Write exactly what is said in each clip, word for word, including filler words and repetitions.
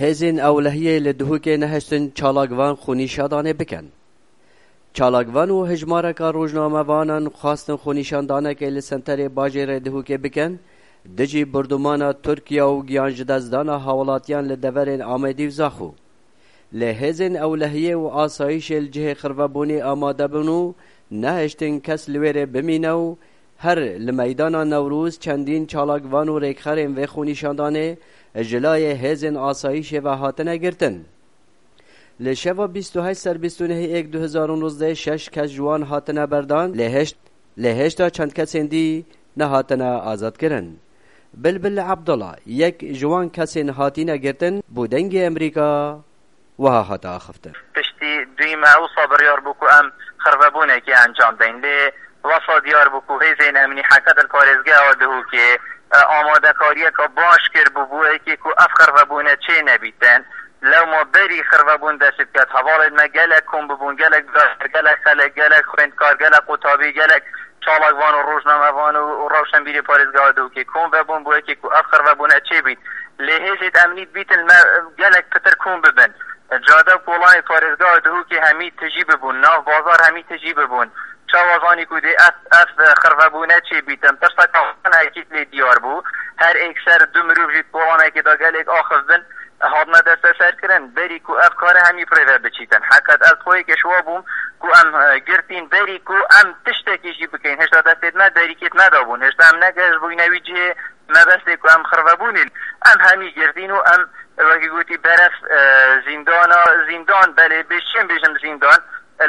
Hêzên ewlehiyê li Duhokê nehiştin çalakvan xwenîşandanê bikin. Çalakvan û hejmareka rojnamevanan xwestin xwenîşandanekê li senterê bajêrê Duhokê bikin, dijî bordûmana Tirkiye û giyanjidestdana hawlatiyan li deverên Amedî û Zaxo. Lê hêzên ewlehiyê û asayîşê li cihê xirvebûnê amade bûn û nehiştin kes li wê rê bimîne û her li meydana Newroz çendîn çalakvan û rêkxerên vê xwenîşandanê ji layê hêzên asayîşê ve hatine girtin. Li şeva bîst û heşt ser bîst û nehê êk du hezar û nozdeh şeş kes ji wan hatine berdan, lê heşt, lê hêşta çend kesên dî nehatine azadkirin. Bilbil Abdullah, yek ji wan kesên hatine girtin, bo Dengê Amerîka wiha hate axiftin. Piştî duyî me wisa biryar bû ku em xirvebûnekê encam deyn. Lê wesa diyar bû ku hêzên emnî heke di parêzgeha Duhokê, e, amadekariyeke baş kir bû bo yekê ku ev xirvebûne çê nebîtin. Lewma berî xirvebûn dest pê biket, hevalên me gelek kom bibûn, gelek dayik, gelek xelek, gelek xwendkar, gelek qutabî, gelek çalakvan û rojnamevan û, û rewşenbîrê parêzgeha Duhokê kom vebûn bo yekê ku ev xirvebûne çê bît. Lê hêzên emnî dibîtin me gelek pitir kom bibin. Cade û kolanê parêzgeha Duhokê hemî tijî bibûn, nav bazar hemî tijî bibûn. Çawa zanî ku dê ev, ev xirvebûne çê bîtin? Tirseka wan ekîd lê diyar bû. Her êkser du mirov jî di kolanekê de gelek axif bin, hatine desteserkirin. Berî ku ev kare hemî bi rê ve biçîtin. Heqet ez xwe yekê şiwa bûm ku em, e, girtîn berî ku em tiştekî jî bikeyn. Hêşta destê me derîkê me de bûn. Hêşta em negehiştbûyne wî cihê mebestê ku em xirvebûnê. Em hemî girtîn û em, wekî gotî, beref, e, zîndana, zîndan, belê, bêşçiyên bêjim zîndan,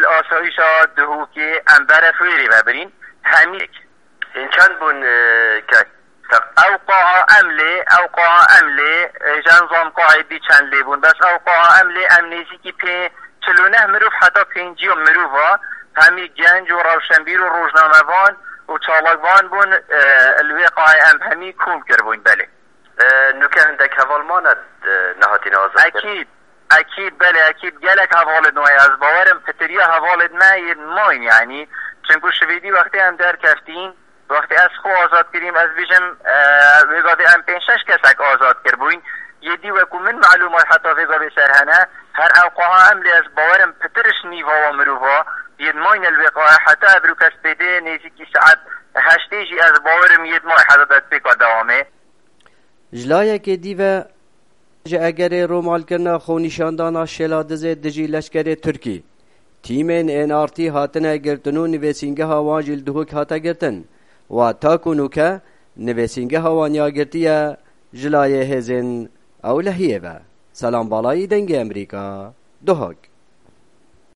li asayîşa Duhokê em beref wê rê vebirîn. Hemî. Hîn çend bûn, e, kek? Ew qaha em lê, ew qaha em lê, e, jen zam qahê dî çend lê bûn. Bes ew qaha em lê, em nêzîkî pê-, çil û neh mirov heta pêncî mirov a, hemî genc û rewşenbîr û rojnamevan û çalakvan bûn, e, li wê qahê em hemî kom kiribûn, belê. E, nûke hindek heval mane, e, nehatine azad kirin? Ekîd, ekîd, belê, ekîd. Gelek hevalên we ye. Ez bawerim pitiriya hevalên me yên mayîn, yanî. Çinku şivêdî wextê em derkeftîn, wextê ez xwe azad kirîm, ez bêjim, e, wê gavê em pênc şeş kesek azad kiribûyn. Yê dî wekû min melûm e heta vê gavê ser hene. Her ew qaha em lê ez bawerim pitir ji nîva wa mirova yên mayîne li wê qahê heta evro kes pê dê nêzîkî saet heştê jî ez bawerim yên mayî heta destpêka dewamê. Ji layekê dî ve, ji egerê romalkirina xwenîşandana Şêladizê dijî leşkerê Tirkî, tîmên N R T hatine girtin û nivîsîngeha wan jî li Duhok hate girtin. Wa ta ku nûke nivîsîngeha wan ya girtiye ji layê hêzên ewlehiyê ve. Selam Balayî, Dengê Amerîka, Duhok.